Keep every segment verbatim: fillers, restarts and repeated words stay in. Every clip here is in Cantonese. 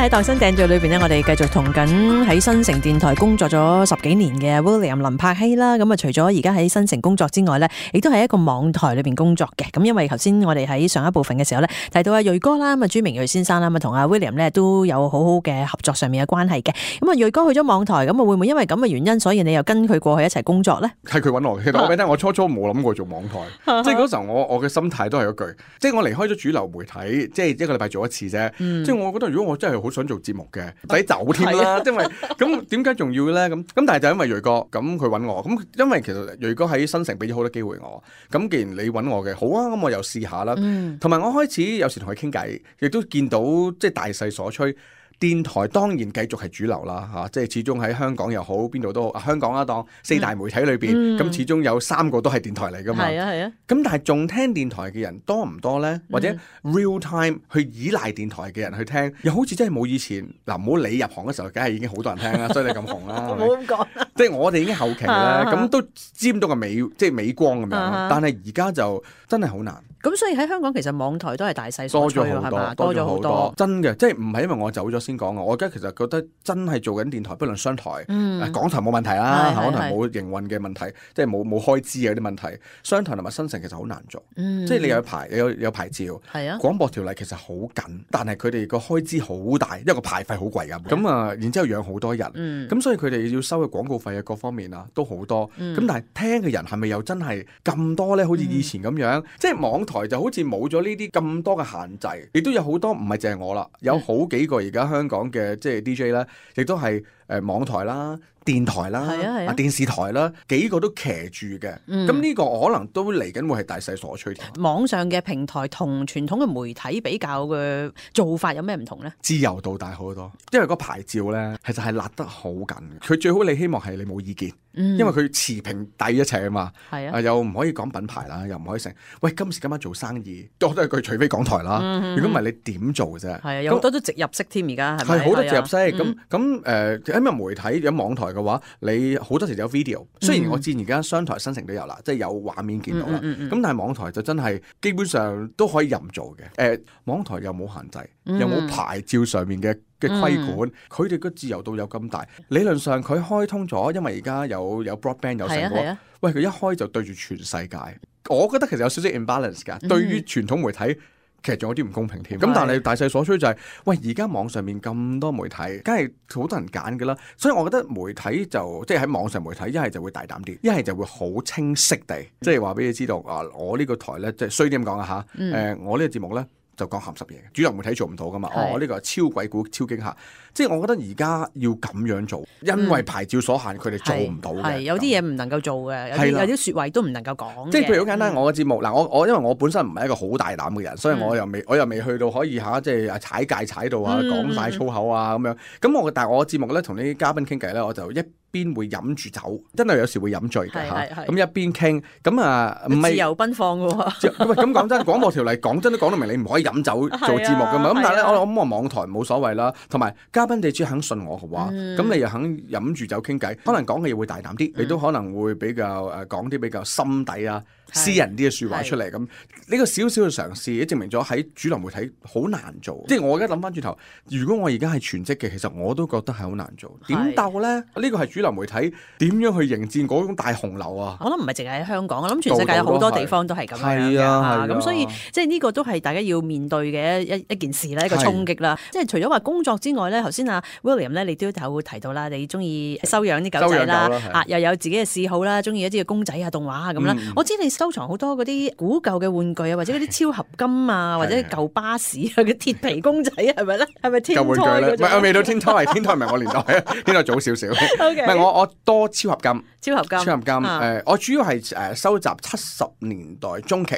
喺度身訂做裏邊呢，我哋繼續同緊喺新城電台工作咗十幾年嘅 William 林柏希啦。咁啊，除咗而家喺新城工作之外呢，亦都係一個網台裏邊工作嘅。咁因為頭先我哋喺上一部分嘅時候呢，提到阿瑞哥啦，咁啊朱明瑞先生啦，咁啊同阿 William 呢都有好好嘅合作上面嘅關係嘅。咁啊瑞哥去咗網台，咁啊會唔會因為咁嘅原因，所以你又跟佢過去一齊工作呢？係佢揾我，其實我俾你聽，我初初冇諗過做網台，即係嗰時候我我嘅心態都係嗰句，即係我離開咗主流媒體，即係一個禮拜做一次啫。嗯、即係我覺得如果我真係好想做節目嘅，唔使走添啦，因為咁點解仲要咧？咁咁但係就因為瑞哥咁佢揾我，咁因為其實瑞哥喺新城俾咗好多機會我，咁既然你揾我嘅，好啊，咁我又試下啦。同埋、嗯、我開始有時同佢傾偈，亦都見到即係大勢所趨。電台當然繼續係主流啦，嚇、啊，即係始終喺香港又好，邊度都好。啊、香港啊，當四大媒體裏邊，咁、嗯、始終有三個都係電台嚟㗎嘛。係啊係啊。咁、啊、但係仲聽電台嘅人多唔多咧？或者 real time 去依賴電台嘅人去聽，又好似真係冇以前嗱，唔好理入行嘅時候，梗係已經好多人聽啦，所以你咁紅啦。唔好咁講。即係我哋已經後期咧，咁都沾到個美，即係美光咁樣。但係而家就真係好難。咁所以喺香港其實網台都係大勢所趨係嘛？多咗好多，真嘅，即係唔係因為我走咗先講嘅。我而家其實覺得真係做緊電台，不論商台、嗯、港台冇問題啦，港台冇營運嘅問題，即係冇冇開支嘅啲問題。商台同埋新城其實好難做，嗯、即係你有牌有有牌照，係啊，廣播條例其實好緊，但係佢哋個開支好大，因為個牌費好貴㗎。咁啊，然之後養好多人，咁、嗯、所以佢哋要收嘅廣告費啊，各方面啊都好多。咁、嗯、但係聽嘅人係咪又真係咁多咧？好似以前咁樣，嗯、即係網台就好似冇咗呢啲咁多嘅限制，亦都有好多唔係淨係我啦，有好幾個而家香港嘅即係 D J 咧，亦都係誒網台啦、電台啦、啊啊、電視台啦，幾個都騎住嘅。咁呢、嗯、個可能都嚟緊會係大勢所趨。網上嘅平台同傳統嘅媒體比較嘅做法有咩唔同咧？自由度大好多，因為個牌照咧其實係勒得好緊。佢最好你希望係你冇意見，嗯、因為佢持平抵一切啊嘛。係啊，啊，又唔可以講品牌啦，又唔可以成。喂，今時今晚做生意多都係句，除非港台啦。如果唔係你點做啫？係啊，有好多都直入式添，而家係咪？係好多直入式。咁咁誒，因為媒體有網台嘅話，你好多時有 video。雖然我知而家商台新城都有啦，即係有畫面見到啦。咁、嗯嗯嗯、但係網台就真係基本上都可以任做嘅。誒、呃，網台又冇限制，又冇牌照上面嘅嘅規管，佢哋個自由度有咁大。理論上佢開通咗，因為而家有有 broadband 有成個。啊啊、喂，佢一開就對住全世界。我覺得其實有少少 imbalance 㗎。嗯、對於傳統媒體。其實仲有啲唔公平添，咁但係大勢所趨就係、是，喂而家網上面咁多媒體，梗係好多人揀㗎啦，所以我覺得媒體就即係喺網上媒體一係就會大膽啲，一係就會好清晰地，即係話俾你知道啊，我呢個台咧即係衰啲咁講啊嚇，誒、嗯呃、我呢個節目咧。就講鹹濕嘢，主流媒體做唔到噶嘛？是哦，呢、這個係超鬼故、超驚嚇，即係我覺得而家要咁樣做，因為牌照所限，佢哋、嗯、做唔到嘅。係有啲嘢唔能夠做嘅，有啲有啲説話都唔能夠講。即係譬如好簡單，嗯、我嘅節目嗱，我我因為我本身唔係一個好大膽嘅人，所以我又未我又未去到可以嚇，即係踩界踩到啊，講晒粗口啊咁樣。咁我但係我嘅節目咧，同啲嘉賓傾偈咧，我就一邊會飲住酒，真係有時會飲醉嘅嚇。咁一邊傾，咁啊唔係自由奔放嘅喎。咁講真，廣播條例講真都講到明，你唔可以飲酒做節目噶嘛。咁但係咧，我我諗我網台冇所謂啦。同埋嘉賓你只要肯信我嘅話，咁你又肯飲住酒傾偈，可能講嘅嘢會大膽啲，你都可能會比較誒講啲比較心底啊、私人啲嘅説話出嚟。咁呢個少少嘅嘗試，亦證明咗喺主流媒體好難做。即係我而家諗翻轉頭，如果我而家係全職嘅，其實我都覺得係好難做。點鬥咧？呢個係主流媒體點樣去迎戰嗰種大洪流啊？我諗唔係淨係喺香港，我諗全世界有好多地方都係咁樣嘅嚇。咁所以即係呢個都係大家要面對嘅一一件事啦，一個衝擊啦。即係除咗話工作之外咧，頭先阿 William 咧，你都有提到啦，你中意收養啲狗仔啦，啊又有自己嘅嗜好啦，中意一啲嘅公仔啊、動畫啊咁啦。我知你收藏好多嗰啲古舊嘅玩具啊，或者嗰啲超合金啊，或者舊巴士啊嘅鐵皮公仔啊，係咪咧？係咪天胎嗰種？舊玩具咧，唔係我未到天胎，天胎唔係我年代啊，天胎早少少。唔係我我多超合金，超合金，超合金。誒，我主要係誒收集七十年代中期。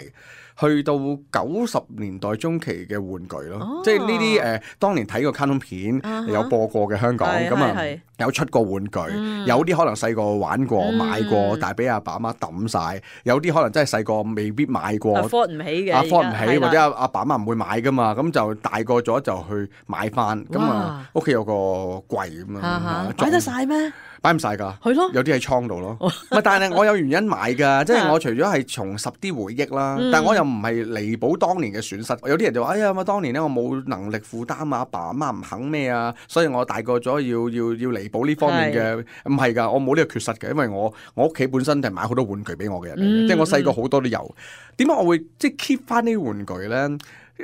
去到九十年代中期嘅玩具咯，哦、即係呢啲誒，當年睇過卡通片、啊、哈有播過嘅香港，咁啊有出過玩具，嗯、有啲可能細個玩過、嗯、買過，但係俾阿爸阿媽抌晒；有啲可能真係細個未必買過 afford 唔起嘅 afford 唔起，或者阿阿爸阿媽唔會買噶嘛，咁就大個咗就去買翻，咁啊屋企有個櫃咁啊，擺得晒咩？擺唔晒㗎，係咯，有啲喺倉度咯。唔係，但係我有原因買㗎，即係我除咗係重拾啲回憶啦，嗯、但係我又唔係彌補當年嘅損失。有啲人就話：哎呀，我當年咧我冇能力負擔啊，阿爸阿媽唔肯咩啊，所以我大個咗要要要彌補呢方面嘅。唔係㗎，我冇呢個缺失嘅，因為我我屋企本身係買好多玩具俾我嘅人嚟嘅，嗯、即係我細個好多都有。點解我會即係 keep 翻呢啲玩具咧？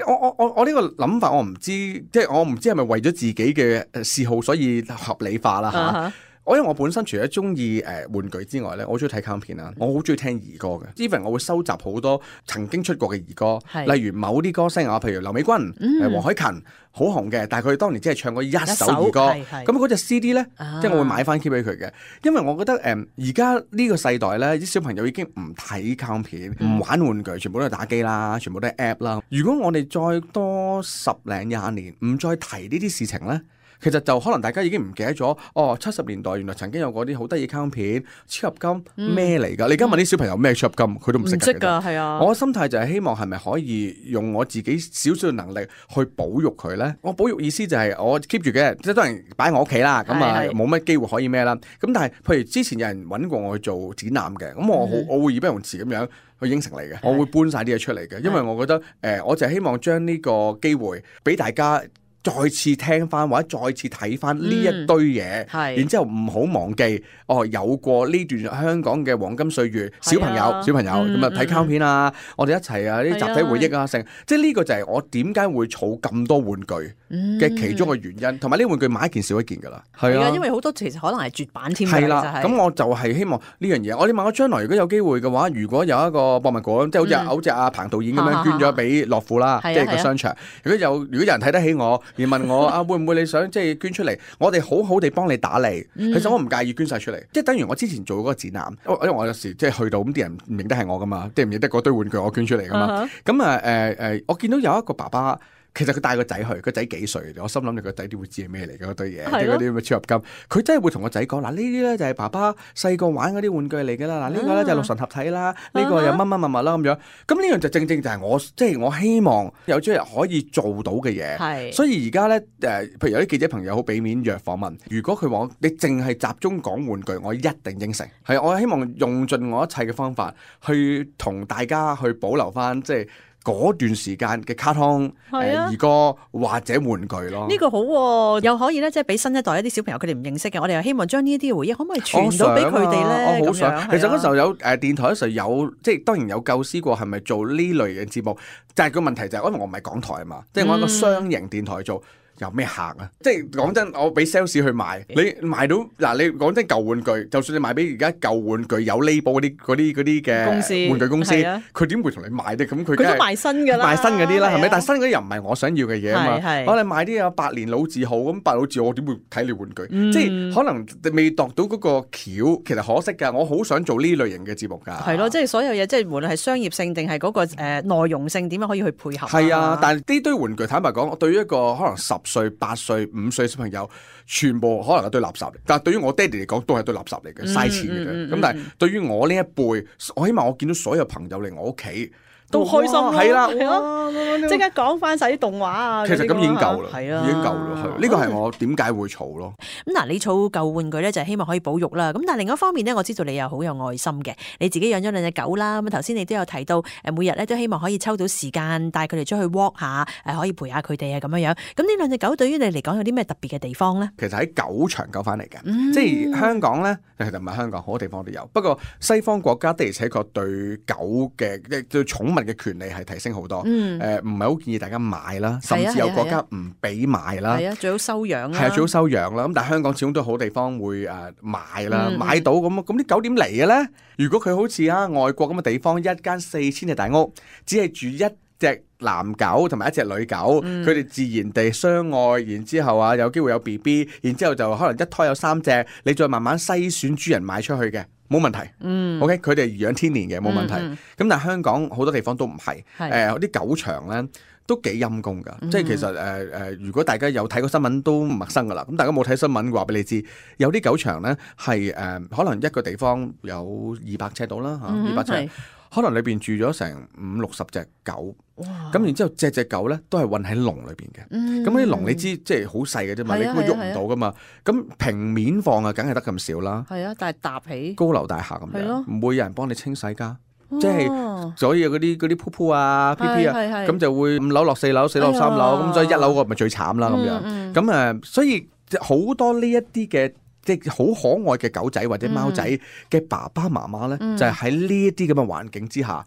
我我我我呢個諗法我唔知，即係我唔知係咪為咗自己嘅嗜好所以合理化啦嚇。Uh huh. 我因為我本身除咗中意誒玩具之外咧，我好中意睇卡通片啦，我好中意聽兒歌嘅。even 我會收集好多曾經出過嘅兒歌，是例如某啲歌星啊，譬如劉美君、誒、嗯、黃凱芹好紅嘅，但係佢哋當年只係唱過一首兒歌。咁嗰隻 C D 咧，啊、即係我會買翻 keep 俾佢嘅，因為我覺得誒而家呢個世代咧，啲小朋友已經唔睇卡通片，唔、嗯、玩玩具，全部都係打機啦，全部都係 app 啦。如果我哋再多十零廿年，唔再提呢啲事情咧，其實就可能大家已經唔記得咗，哦，七十年代原來曾經有嗰啲好得意卡通片，超合金咩嚟㗎？嗯、你而家問啲小朋友咩超合金，佢都唔識㗎。係啊，我嘅心態就係希望係咪可以用我自己少少嘅能力去保育佢咧？我保育意思就係我 keep 住嘅，即係當然擺喺我屋企啦，咁啊冇乜機會可以咩啦。咁但係譬如之前有人揾過我去做展覽嘅，咁我好、嗯、我會義不容辭咁樣去應承你嘅，是我會搬晒啲嘢出嚟嘅，因為我覺得誒、呃，我就係希望將呢個機會俾大家。再次聽翻或者再次睇翻呢一堆嘢，嗯、然之後唔好忘記哦，有過呢段香港嘅黃金歲月，小朋友、啊、小朋友咁啊睇卡通片啊，嗯、我哋一齊啊啲集體回憶啊，成即係呢個就係我點解會儲咁多玩具嘅其中嘅原因，同埋呢啲玩具買一件少一件㗎啦，係啊，因為好多其實可能係絕版添㗎，係啦，咁我就係希望呢樣嘢。我哋問我將來如果有機會嘅話，如果有一個博物館，即係好似好似阿彭導演咁樣捐咗俾樂富啦，即係個商場。如果有如果有人睇得起我，而問我啊，會唔會你想即係捐出嚟？我哋好好地幫你打理。其實我唔介意捐晒出嚟，即係等於我之前做嗰個展覽，因為我有時即係去到咁啲人唔認得係我噶嘛，即係唔認得嗰堆玩具我捐出嚟噶嘛。咁啊誒誒，我見到有一個爸爸。其實佢帶個仔去，個仔幾歲？我心諗你個仔點會知係咩嚟嘅嗰堆嘢？即係嗰啲咁嘅超合金。佢真係會同個仔講嗱，呢啲咧就係爸爸細個玩嗰啲玩具嚟㗎啦。嗱，呢個咧就係六神合體啦，呢個又乜乜乜乜啦咁樣。咁呢樣就正正就係我即係我希望有朝日可以做到嘅嘢。係。所以而家咧誒，譬如有啲記者朋友好俾面約訪問，如果佢話你淨係集中講玩具，我一定應承。係，我希望用盡我一切嘅方法去同大家去保留翻即係。嗰段時間嘅卡通、兒、呃、歌或者玩具咯，呢個好、啊，又可以咧，即係俾新一代一啲小朋友佢哋唔認識嘅，我哋又希望將呢啲回憶可唔可以傳到俾佢哋咧？我好想，想其實嗰時候有誒、呃、電台嗰時候有，即係當然有構思過係咪做呢類嘅節目，但係個問題就係、是、因為我唔係港台啊嘛，即係我一個雙營電台做。有咩客啊？即係講真，我俾 sales 去賣，你賣到嗱，你講真舊玩具，就算你賣俾而家舊玩具有 label 嗰啲嗰啲嗰啲嘅玩具公司，佢點會同你賣啫？咁佢佢都賣新㗎啦，賣新嗰啲啦，係咪？但係新嗰啲又唔係我想要嘅嘢啊嘛。我哋賣啲有百年老字號咁，百老字號我點會睇你玩具？即係可能未度到嗰個橋，其實可惜㗎。我好想做呢類型嘅節目㗎。係咯，即係所有嘢，即係無論係商業性定係嗰個誒內容性，點樣可以去配合？係啊，但係呢堆玩具坦白講，對於一個可能十歲、八歲、五歲小朋友，全部可能係堆垃圾嚟。但係對於我爹哋嚟講，都係堆垃圾嚟嘅，嘥錢嘅啫。咁、嗯嗯、但係對於我呢一輩，我希望我見到所有朋友嚟我屋企都開心咯，係啦，即刻講翻晒啲動畫啊。其實咁已經夠啦，係啊，已經夠啦。係呢個係我點解會儲咯。咁嗱，你儲舊玩具咧，就係希望可以保育啦。咁但係另一方面咧，我知道你又好有愛心嘅，你自己養咗兩隻狗啦。咁頭先你都有提到，誒每日咧都希望可以抽到時間帶佢哋出去 walk 下，誒可以陪下佢哋啊咁樣樣。咁呢兩隻狗對於你嚟講有啲咩特別嘅地方咧？其實喺狗場救翻嚟嘅，嗯、即係香港咧，其實唔係香港，好多地方都有。不過西方國家的而且確對狗嘅即係對寵物嘅權利係提升好多。誒唔係好建議大家買啦，甚至有國家唔俾買啦。係啊，最好收養啦。係啊，最好收養啦。咁但係香港始終都好地方會誒買啦，嗯、買到咁咁啲狗點嚟嘅咧？如果佢好似啊外國咁嘅地方，一間四千尺大屋，只係住一隻男狗同埋一隻女狗，佢哋、嗯、自然地相愛，然之後啊有機會有 B B， 然之後就可能一胎有三隻，你再慢慢篩選主人賣出去嘅，冇問題。嗯，OK，佢哋養天年嘅冇問題。咁、嗯嗯、但係香港好多地方都唔係，誒啲的、呃、狗場咧都幾陰功㗎。嗯、即係其實誒誒、呃，如果大家有睇過新聞都唔陌生㗎啦。咁大家冇睇新聞話俾你知，有啲狗場咧係誒可能一個地方有二百尺到啦嚇，二百尺。可能裏邊住咗成五六十隻狗。哇！咁然之後隻隻狗咧都係韞喺籠裏邊嘅。咁嗰啲籠你知即係好細嘅啫嘛，你根本喐唔到噶嘛。咁平面放啊，梗係得咁少啦。係啊，但係搭起高樓大廈咁樣，唔會有人幫你清洗㗎。哦、即係所以嗰啲嗰啲噗噗啊、屁屁啊，咁就會五樓落四樓，四樓落三樓，咁、哎、所以一樓個咪最慘啦咁樣。咁誒、嗯嗯，所以好多呢一啲嘅。即係好可愛嘅狗仔或者貓仔嘅爸爸媽媽咧，嗯、就係喺呢一啲咁嘅環境之下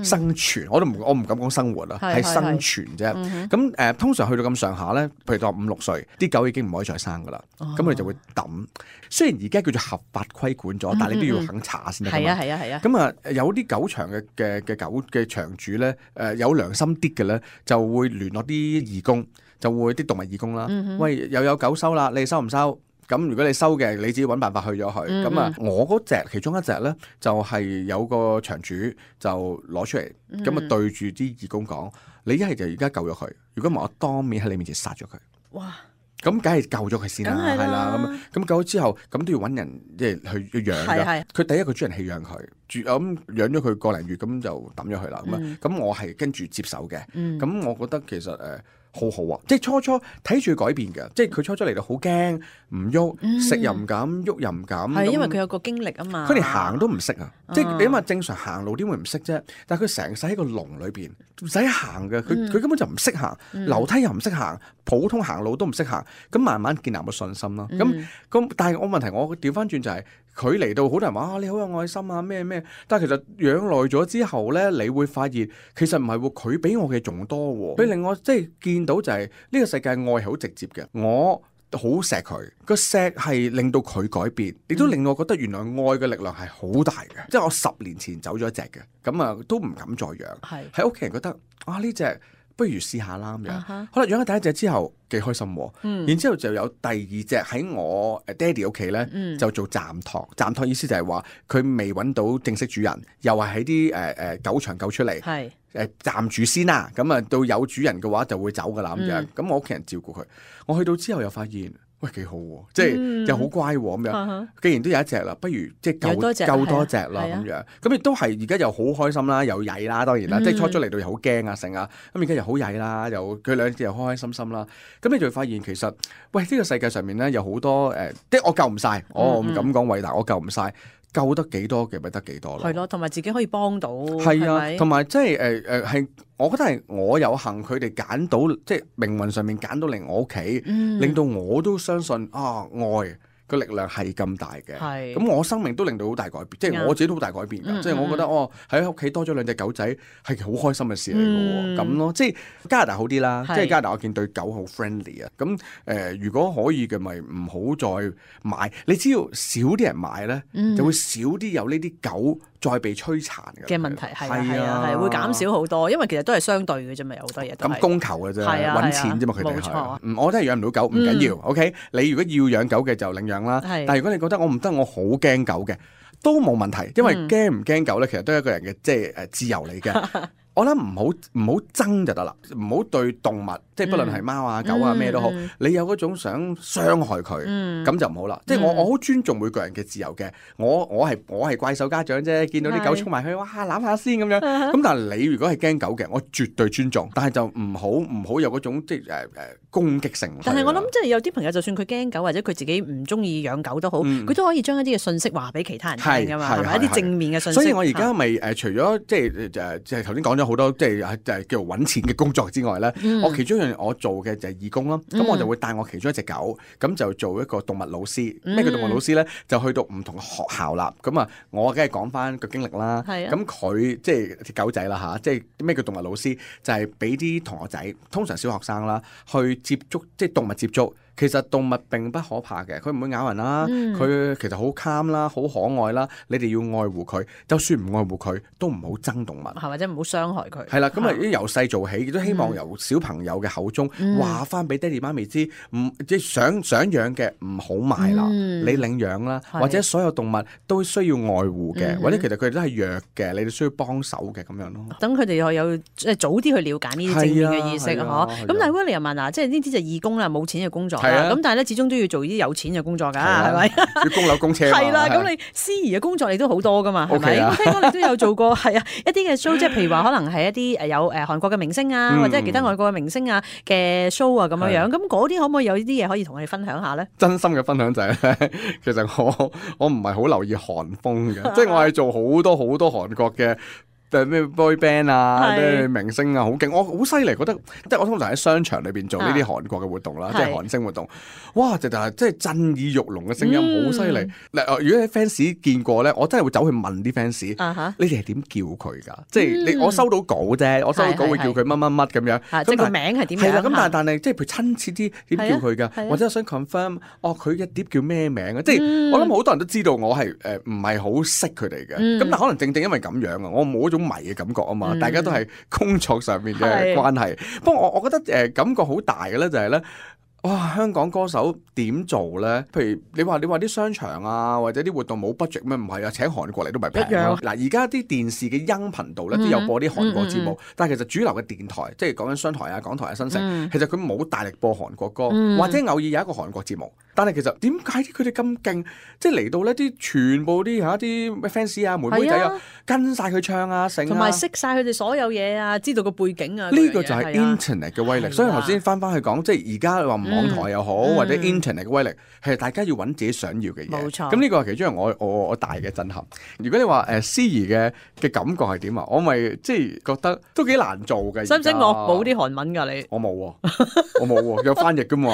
生存。嗯、我都唔我唔敢講生活啦，係生存啫。咁誒、呃，通常去到咁上下咧，譬如當五六歲，啲狗已經唔可以再生噶啦。咁佢、哦、就會抌。雖然而家叫做合法規管咗，但係你都要肯查先得㗎嘛。係啊係啊係啊。咁啊，有啲狗場嘅嘅嘅狗嘅場主咧，誒、呃、有良心啲嘅咧，就會聯絡啲義工，就會啲動物義工啦。嗯、哼喂，又有狗收啦，你收唔收？咁如果你收嘅，你自己揾辦法去咗佢。咁啊、嗯，我嗰隻其中一隻咧，就係、是、有個場主就攞出嚟，咁啊、嗯、對住啲義工講：你一係就而家救咗佢，如果唔係我當面喺你面前殺咗佢。哇！咁梗係救咗佢先啦，係啦。咁咁救咗之後，咁都要揾人即係去養㗎。佢第一個主人棄養佢，住咁養咗佢個零月，咁就抌咗佢啦。咁啊、嗯，咁我係跟住接手嘅。咁、嗯、我覺得其實誒。呃好好啊！即係初初睇住改變嘅，即係佢初初嚟到好驚，唔喐，食又唔敢，喐又唔敢。係因為佢有個經歷啊嘛。佢連行都唔識啊！即係你諗下正常行路點會唔識啫？但係佢成世喺個籠裏邊唔使行嘅，佢佢根本就唔識行，樓梯又唔識行，普通行路都唔識行。咁慢慢建立個信心咯。咁咁，但係我問題我調翻轉就係佢嚟到好多人話啊，你好有愛心啊咩咩，但係其實養耐咗之後咧，你會發現其實唔係喎，佢俾我嘅仲多喎，佢令我即係見到就係呢個世界愛係好直接嘅，我好錫佢，個錫係令到佢改變，亦都令我覺得原來愛嘅力量係好大嘅。嗯、即係我十年前走咗一隻嘅，咁啊都唔敢再養，喺屋企人覺得啊呢隻不如試下啦咁樣，好啦養咗第一隻之後幾開心，嗯、然之後就有第二隻喺我誒爹哋屋企咧，嗯、就做暫託。暫託意思就係話佢未揾到正式主人，又係喺啲誒誒狗場救出嚟。係。誒暫住先啦，咁啊到有主人嘅話就會走噶啦咁樣，咁、嗯、我屋企人照顧佢，我去到之後又發現，喂幾好喎，即係、嗯、又好乖喎咁樣。嗯、既然都有一隻啦，不如即係救救多隻啦咁樣，咁亦都係而家又好開心啦，又曳啦，當然啦，嗯、即係初初嚟到又好驚啊成啊，咁而家又好曳啦，又佢兩隻又開開心心啦，咁你就會發現其實，喂呢、呢個世界上面咧有好多誒，即係我救唔晒，我唔敢講偉大，我救唔晒。救得幾多嘅咪得幾多咯，係咯，同埋自己可以幫到，係啊，同埋即係誒誒係，我覺得係我有幸佢哋揀到，即係命運上面揀到嚟我屋企，嗯、令到我都相信啊愛個力量係咁大嘅，咁是我生命都令到好大改變，即係、嗯、我自己都好大改變㗎，即係、嗯、我覺得哦喺屋企多咗兩隻狗仔係好開心嘅事嚟嘅喎，咁、嗯、咯，即係加拿大好啲啦，是即係加拿大我見對狗好 friendly 啊，咁、呃、誒如果可以嘅咪唔好再買，你只要少啲人買咧，嗯、就會少啲有呢啲狗再被摧殘嘅問題，係啊係啊係會減少好多，因為其實都係相對嘅啫嘛，有好多嘢咁供求嘅啫，揾錢啫嘛，佢哋係，嗯，我都係養唔到狗，唔緊要 ，OK，你如果要養狗嘅就領養啦，但係如果你覺得我唔得，我好驚狗嘅，都冇問題，因為驚唔驚狗咧，其實都係一個人嘅即係誒自由嚟嘅。我諗唔好唔好爭就得啦，唔好對動物，即係不論係貓啊、狗啊咩都好，嗯、你有嗰種想傷害佢，咁、嗯、就唔好啦。嗯、即係我我好尊重每個人嘅自由嘅，我我係我係怪獸家長啫，見到啲狗衝埋去，哇攬下先咁樣。咁但係你如果係驚狗嘅，我絕對尊重，但係就唔好唔好有嗰種即係誒誒攻擊性。但係我諗即係有啲朋友，就算佢驚狗或者佢自己唔中意養狗都好，佢、嗯、都可以將一啲嘅信息話俾其他人聽㗎嘛，係咪一啲正面嘅信息？所以我而家咪誒除咗即係誒即係頭先講咗好多即係就係叫做揾錢嘅工作之外咧，嗯、我其中一樣我做嘅就係義工咯。咁、嗯、我就會帶我其中一隻狗，咁就做一個動物老師。咩叫、嗯、動物老師咧？就去到唔同嘅學校啦。咁啊，我梗係講翻個經歷啦。咁佢即係隻狗仔啦嚇，即係咩叫動物老師？就係俾啲同學仔，通常小學生啦，去接觸即係動物接觸。其實動物並不可怕嘅，佢唔會咬人啦，佢、嗯、其實好 calm 啦，好可愛啦。你哋要愛護佢，就算唔愛護佢，都唔好憎動物，係或者唔好傷害佢。係啦，咁啊由細做起，亦都希望由小朋友嘅口中話翻俾爹哋媽咪知，唔即係想想養嘅唔好買啦，嗯、你領養啦，的或者所有動物都需要愛護嘅，嗯、或者其實佢哋都係弱嘅，你哋需要幫手嘅咁樣咯。等佢哋又有即係早啲去了解呢啲正面嘅意識嗬。咁但係 William 啊，即係呢啲就義工啦，冇錢嘅工作。啦。係啊咁但係咧，始終都要做啲有錢嘅工作㗎，係咪？要供樓供車嘛。係啦，係咁你司儀嘅工作你都好多㗎嘛，係咪？ OK 啊咁聽講你都有做過係啊一啲嘅 show，即係譬如話可能係一啲誒有誒韓國嘅明星啊，嗯或者係其他外國嘅明星啊嘅 show 啊咁樣樣。咁嗰啲可唔可以有呢啲嘢可以同我哋分享下咧？真心嘅分享就係咧，其實我我唔係好留意韓風嘅，即係我係做好多好多韓國嘅。誒咩 boy band 啊，咩明星啊，好勁！我好犀利，覺得即係我通常喺商場裏邊做呢啲韓國嘅活動啦，即係韓星活動。哇！就係即係震耳欲聾嘅聲音，好犀利。嗱，如果啲 fans 見過咧，我真係會走去問啲 fans，你哋係點叫佢㗎？即係你我收到稿啫，我收到稿會叫佢乜乜乜咁樣。即係個名係點樣？係啦，咁但係但係即係譬如親切啲點叫佢㗎？或者我想 confirm，哦佢嘅碟叫咩名啊？即係我諗好多人都知道我係誒唔係好識佢哋嘅。咁但係可能正正因為咁樣啊，我冇嗰種迷嘅感覺啊嘛，大家都係工作上面嘅關係。不過我我覺得誒、呃、感覺好大嘅咧，就係咧。哇！香港歌手點做咧？譬如你話你話啲商場啊，或者啲活動冇 budget 咩？唔係啊，請韓國嚟都唔係平咯。嗱，而家啲電視嘅音頻道咧都有播啲韓國節目，嗯嗯嗯、但係其實主流嘅電台，即係講緊商台啊、港台啊、新城，嗯、其實佢冇大力播韓國歌，嗯、或者偶爾有一個韓國節目。但係其實點解佢哋咁勁？即係嚟到呢啲全部啲嚇啲 fans 啊、妹妹仔啊，跟晒佢唱啊、成啊，同埋識晒佢哋所有嘢啊，知道個背景啊。呢個就係 internet 嘅威力。所以頭先翻翻去講，即係而家話網台又好，嗯、或者 internet 嘅威力，係大家要揾自己想要嘅嘢。冇錯。咁呢個係其中一個我我我大嘅震撼。如果你話誒司儀嘅嘅感覺係點啊？我咪即係覺得都幾難做嘅。使唔使惡補啲韓文㗎你？我冇喎，我冇喎，有翻譯㗎嘛。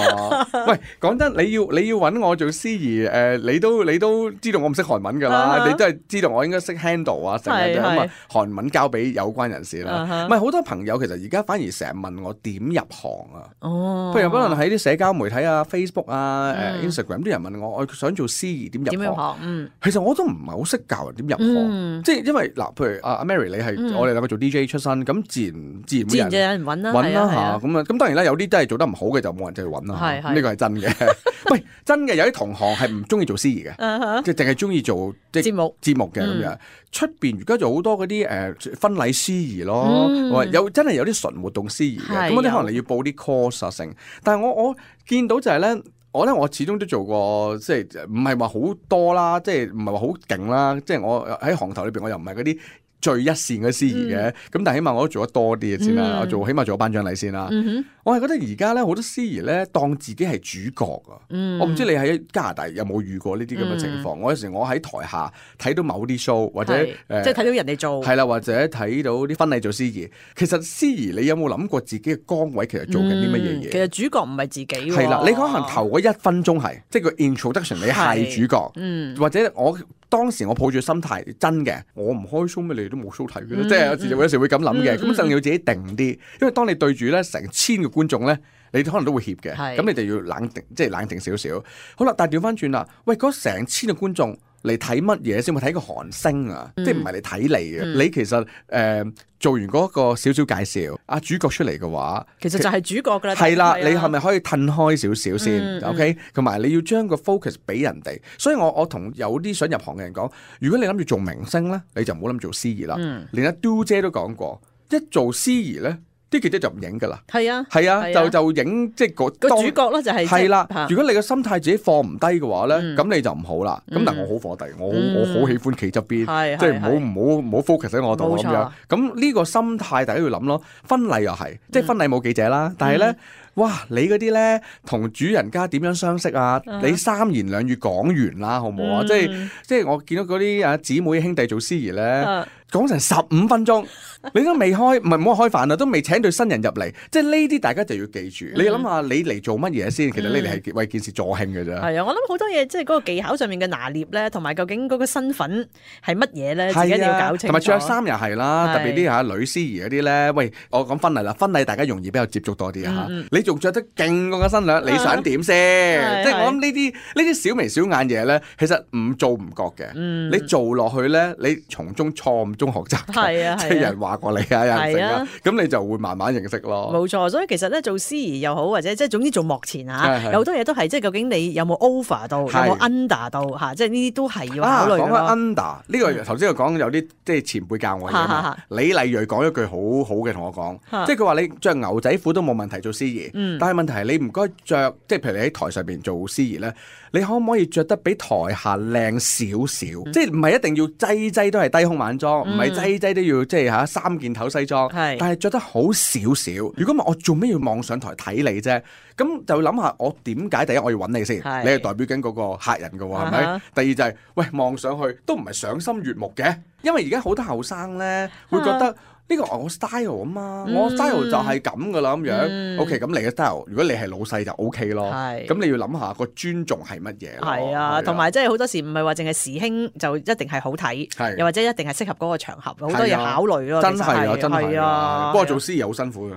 喂，講真，你要你要揾我做司儀，誒、呃，你都你都知道我唔識韓文㗎啦，uh huh. 你都係知道我應該識 handle 啊，成日咁啊，韓文交俾有關人士啦。唔係好多朋友其實而家反而成日問我點入行啊。哦，譬如可能喺啲社交媒體啊、Facebook 啊、誒、uh, Instagram 啲人問我，我想做司儀點入行？嗯，其實我都唔係好識教人點入行，嗯、即係因為嗱，譬如阿阿 Mary 你係、嗯、我哋兩個做 D J 出身，咁自然自然會有人自然有人揾啦，揾啦嚇，咁啊，咁當然啦，有啲真係做得唔好嘅就冇人就去揾啦，係係呢個係真嘅。喂，真嘅有啲同行係唔中意做司儀嘅， uh huh. 即係淨係中意做即係節目節目嘅咁樣。出邊而家就好多嗰啲誒婚禮司儀咯，嗯、有真係有啲純活動司儀嘅，咁嗰啲可能你要報啲 course 啊成。但係我我見到就係咧，我咧我始終都做過，即係唔係話好多啦，即係唔係話好勁啦，即係我喺行頭裏邊我又唔係嗰啲最一線嘅司儀嘅，咁、嗯、但係起碼我都做得多啲嘅先啦，嗯、我做起碼做咗頒獎禮先啦。嗯、哼我係覺得而家咧好多司儀咧當自己係主角啊！嗯、我唔知你喺加拿大有冇遇過呢啲咁嘅情況？嗯、我有時我喺台下睇到某啲 show 或者誒，即係睇到人哋做係啦，或者睇到啲婚禮做司儀。其實司儀你有冇諗過自己嘅崗位其實做緊啲乜嘢嘢？其實主角唔係自己喎。係啦，你可能頭嗰一分鐘係即係個 introduction，你係主角，嗯、或者我。當時我抱住心態真嘅，我唔開 show 咩？你哋都冇 show 睇嘅，嗯、即係有時有時會咁諗嘅。咁一定要自己定啲，因為當你對住咧成千個觀眾咧，你可能都會怯嘅。咁是你就要冷靜，即係冷靜少少。好啦，但係調翻轉啦，喂，嗰成千個觀眾嚟睇乜嘢先？會睇個韓星啊，嗯、即係唔係嚟睇你嘅？嗯、你其實誒。呃做完嗰個少少介紹，阿主角出嚟嘅話，其實就係主角㗎啦。係啦，你係咪可以褪開少少先、嗯、？OK，同埋你要將個 focus 俾人哋。所以我我同有啲想入行嘅人講，如果你諗住做明星咧，你就唔好諗做司儀啦。嗯、連阿 Do 姐都講過，一做司儀咧。啲記者就唔影㗎啦，係啊，係啊，就就影即係個主角咯，就係係啦。如果你個心態自己放唔低嘅話咧，咁你就唔好啦。咁但係我好火地，我我好喜歡企側邊，即係唔好唔好唔好 focus 喺我度咁樣。咁呢個心態大家要諗咯。婚禮又係，即係婚禮冇記者啦，但係咧，哇！你嗰啲咧同主人家點樣相識啊？你三言兩語講完啦，好唔好啊？即係即係我見到嗰啲啊姊妹兄弟做司儀咧。講成十五分鐘，你都未開，唔係唔好開飯啦，都未請對新人入嚟，即係呢啲大家就要記住。嗯、你諗下，你嚟做乜嘢先？其實你哋係為件事助興嘅啫。係啊，我諗好多嘢，即係嗰個技巧上面嘅拿捏咧，同埋究竟嗰個身份係乜嘢咧，自己一定要搞清楚。同埋着衫又係啦，特別啲嚇女司儀嗰啲咧。喂，我講婚禮啦，婚禮大家容易比較接觸多啲啊嚇。嗯、你仲着得勁過個新娘，你想點先？啊、即係我諗呢啲呢啲小眉小眼嘢咧，其實唔做唔覺嘅。嗯、你做落去咧，你從中錯誤中學習，係啊，即係人話過你啊，有人成啊，咁你就會慢慢認識咯。冇錯，所以其實咧做司儀又好，或者即係總之做幕前嚇，有好多嘢都係即係究竟你有冇 over 到，有冇 under 到嚇，即係呢啲都係要考慮咯。講緊 under 呢個頭先我講有啲即係前輩教我嘅，李麗蕊講一句好好嘅同我講，即係佢話你着牛仔褲都冇問題做司儀，嗯、但係問題係你唔該着，即係譬如你喺台上邊做司儀咧，你可唔可以着得比台下靚少少？嗯、即係唔係一定要劑劑都係低胸晚裝，唔係劑劑都要即係嚇三件頭西裝，是但係着得好少少。如果唔係我做咩要望上台睇你啫？咁就諗下我點解第一我要揾你先？是你係代表緊嗰個客人㗎喎，係咪、uh？Huh. 第二就係、是、喂望上去都唔係賞心悅目嘅，因為而家好多後生咧會覺得。Uh huh. 呢個我 style 啊嘛，嗯、我 style 就係咁噶啦咁樣。嗯、OK，咁你嘅 style，如果你係老細就 OK 咯。係是，咁你要諗下個尊重係乜嘢。係啊，同埋即係好多時唔係話淨係時興就一定係好睇，是又或者一定係適合嗰個場合，好多嘢考慮咯。真係啊，真係啊。啊不過做司儀好辛苦㗎。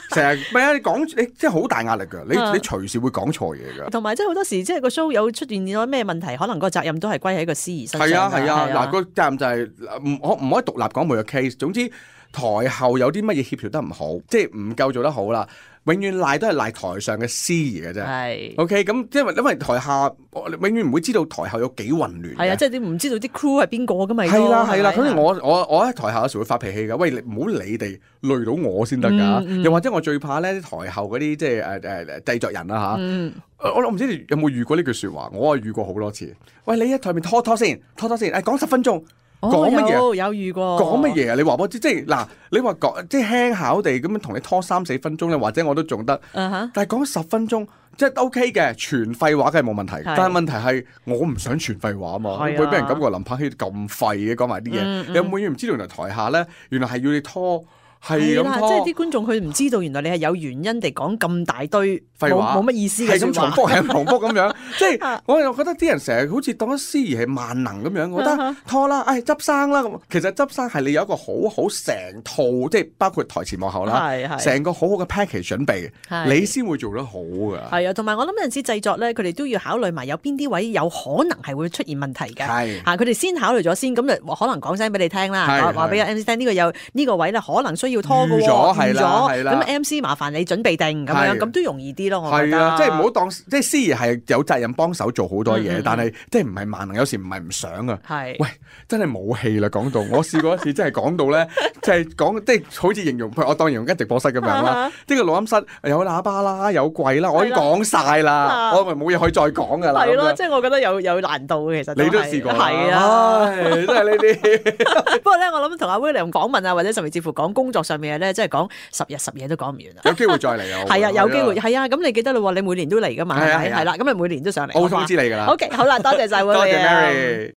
成日唔係啊！你講你即係好大壓力㗎，你你隨時會講錯嘢㗎。同埋即係好多時即係個 show 有出現咗咩問題，可能個責任都係歸喺個司儀身上。係啊係啊，嗱個責任就係唔可唔可以獨立講每個 case。總之台後有啲乜嘢協調得唔好，即係唔夠做得好啦。永遠賴都係賴台上嘅司儀嘅啫。係。OK，咁因為因為台下永遠唔會知道台後有幾混亂。係啊，即係你唔知道啲 crew 係邊個㗎嘛？係啦係啦，所以我我我喺台下有時會發脾氣㗎。喂，你唔好理地累到我先得㗎。嗯嗯、又或者我最怕咧，台後嗰啲即係誒誒製作人啦嚇。嗯、我我唔知你有冇遇過呢句説話，我係遇過好多次。喂，你喺台面拖拖先，拖拖先，誒講十分鐘。講乜嘢？有有遇過。講乜嘢啊？你話我知，即係嗱，你話講即係輕巧地咁樣同你拖三四分鐘咧，或者我都仲得。Uh huh. 但係講十分鐘，即係 OK 嘅，全廢話梗係冇問題。是但係問題係我唔想全廢話啊嘛，會俾、啊、人感覺林柏希咁廢嘅講埋啲嘢。嗯嗯、你有冇嘢唔知道？原來台下咧，原來係要你拖。係啦，即係啲觀眾佢唔知道，原來你係有原因地講咁大堆廢話，冇乜意思嘅係咁重複，係咁重複咁樣。即係我又覺得啲人成日好似當咗司儀係萬能咁樣，我覺得拖啦，唉執生啦咁。其實執生係你有一個好好成套，即係包括台前幕後啦，成個好好嘅 package 準備，你先會做得好㗎。係啊，同埋我諗有陣時製作咧，佢哋都要考慮埋有邊啲位有可能係會出現問題嘅。係嚇，佢哋先考慮咗先，咁就可能講聲俾你聽啦，話話俾 M C 聽呢個有呢個位咧，可能需要拖嘅喎。係啦，係啦。咁 M C 麻煩你準備定咁樣，咁都容易啲咯。我覺得係啊，即係唔好當即係司儀係有責任幫手做好多嘢，但係即係唔係萬能，有時唔係唔想啊。係，喂，真係冇氣啦！講到我試過一次，真係講到咧，即係講即係好似形容，我當形容緊直播室咁樣啦。呢個錄音室有喇叭啦，有櫃啦，我已經講晒啦，我咪冇嘢可以再講㗎啦。係咯，即係我覺得有有難度嘅，其實你都試過係啊，真係呢啲。不過咧，我諗同阿 William 訪問啊，或者甚至乎講工作上面嘅咧，即係講十日十夜都講唔完啊！有機會再嚟啊！係啊，有機會係啊！咁你記得啦，你每年都嚟噶嘛？係咪？係啦，咁咪每年都上嚟。我會通知你㗎啦。OK，好啦，多謝晒 William。多謝 Mary。